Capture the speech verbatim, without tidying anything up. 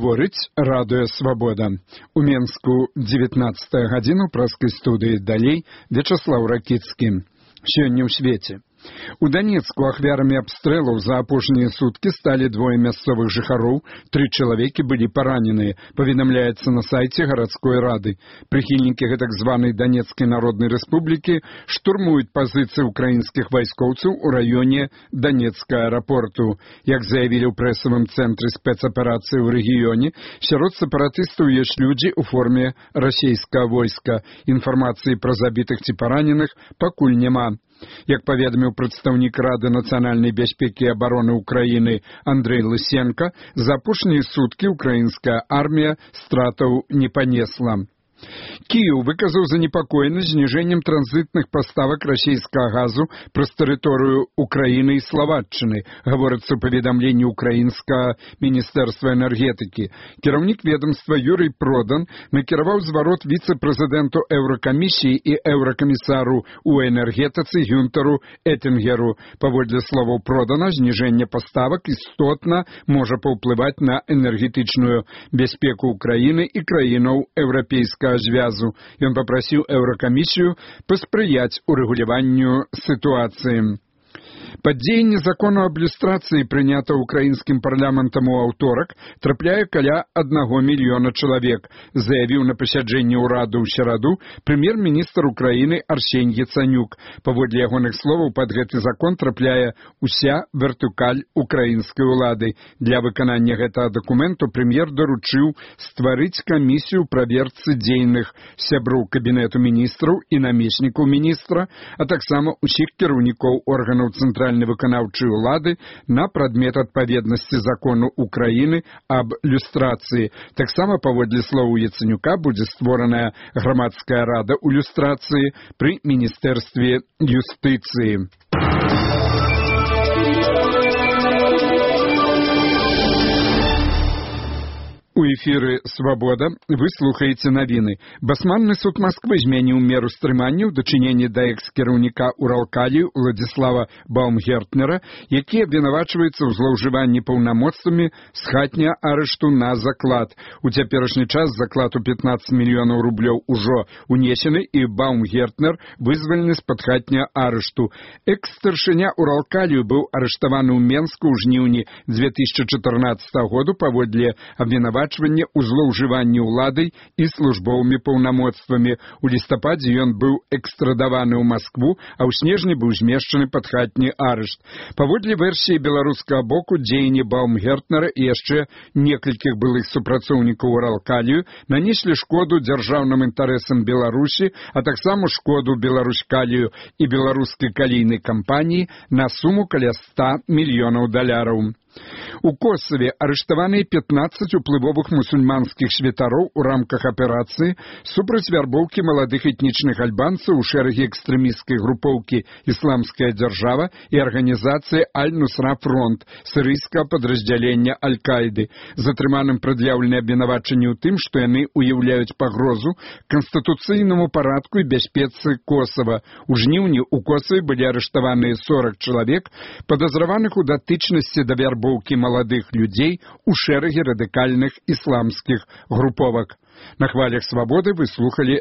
Гаворыць радыё «Свабода». У Менску дзевятнаццатая гадзіна, ў праскай студыі далей Вячаслаў Ракіцкі. Сёння ў свеце. У Донецку ахвярамі абстрэлаў за апошнія суткі сталі двое мясцовых жыхароў, тры чалавекі былі параненыя, паведамляецца на сайце гарадской рады. Прыхільнікі гэтак званай Донецкай Народнай Рэспублікі штурмуюць пазіцыі украінскіх вайскоўцаў у раёне Донецкага аэрапорту. Як заявілі ў прэсавым цэнтры спецаперацыі ў рэгіёне, сярод сепаратыстаў ёсць людзі ў форме расійскага войска. Інфармацыі пра забітых ці параненых пакуль няма. Як паведаміў прадстаўнік Рады нацыянальнай бяспекі і абароны ўкраіны Андрэй Лысенко, за апошнія суткі украінская армія стратаў не панесла. Кіеў выказаў занепакоенасць зніжэннем транзітных паставак расійскага газу праз тэрыторыю Украіны і Славаччыны, гаворыцца ў паведамленні ўкраінскага міністэрства энергетыкі. Кіраўнік ведомства Юрый Продан накіраваў зварот віцэ-прэзідэнту Еўракамісіі і еўракамісару ў энергетыцы Гюнтару Этінгеру. Паводле словаў Продана, зніжэнне паставак істотна можа паўплываць на энергетычную бяспеку Украіны і краінаў еўрапейскага звязу. Ён папрасіў Еўракамісію паспрыяць урэгуляванню сітуацыі. Падзеянне закону аб люстрацыі, прынята ўкраінскім парламентам у аўторак, трапляе каля аднаго мільёна чалавек, заявіў на пасяджэнні ўраду ў сераду прэм'ер-міністр Украіны Арсень Яцанюк. Паводле ягоных словаў, пад гэты закон трапляе ўся вертыкаль украінскай улады. Для выканання гэтага дакументу прэм'ер даручыў стварыць камісію праверцы дзейных сяброў кабінету міністраў і намеснікаў міністра, а таксама ўсіх кіраўнікоў органаў цэнтральнай выканаўчай улады на прадмет адпаведнасці закону Украіны аб люстрацыі. Таксама, паводле словаў Яцанюка, будзе створаная грамадская рада ў люстрацыі пры міністэрстве юстыцыі. У эфіры «Свабода» вы слухаеце навіны. Басманны суд Москвы змяніў меру стрымання ў дачыненні да экс-кіраўніка Уралкалію Уладзіслава Баумгертнера, які абвінавачваецца ў злоўжыванні паўнамоцтвамі з хатняга арышту на заклад. У цяперашні час заклад у пятнаццаць мільёнаў рублёў ужо унесены, і Баумгертнер вызвалены з-пад хатняга арышту. Экс-старшыня Уралкалію быў арыштаваны ў Менску ў жніўні дзве тысячы чатырнаццатага году паводле абвінавачвання у злоўжыванні ўладай і службовымі паўнамоцтвамі. У лістападзе ён быў экстрадаваны ў Маскву, а ў снежні быў змешчаны пад хатні арышт. Паводле версіі беларускага боку, дзеянні Баумгертнера і яшчэ некалькіх былых супрацоўнікаў Уралкалію нанеслі шкоду дзяржаўным інтарэсам Беларусі, а таксама шкоду Беларускалію і беларускай калійнай кампаніі на суму каля ста мільёнаў даляраў. У Косаве арыштаваныя пятнаццаць уплывовых мусульманскіх святароў у рамках аперацыі супраць вярбоўкі маладых этнічных альбанцаў у шэрагі экстрэмісцкай групоўкі «Ісламская дзяржава» і арганізацыі «Аль-Нусра Фронт» сірыйскага падраздзялення Аль-Каіды. Затрыманым прад'яўлены абвінавачанні ў тым, што яны ўяўляюць пагрозу канстытуцыйнаму парадку і бяспецы Косава. У жніўні ў Косаве былі арыштаваныя сорак чалавек, падазраваных у датычнасці да вярбоўкі маладых людзей у шэрагі радыкальных ісламскіх груповак. На хвалях «Свабоды» вы слухалі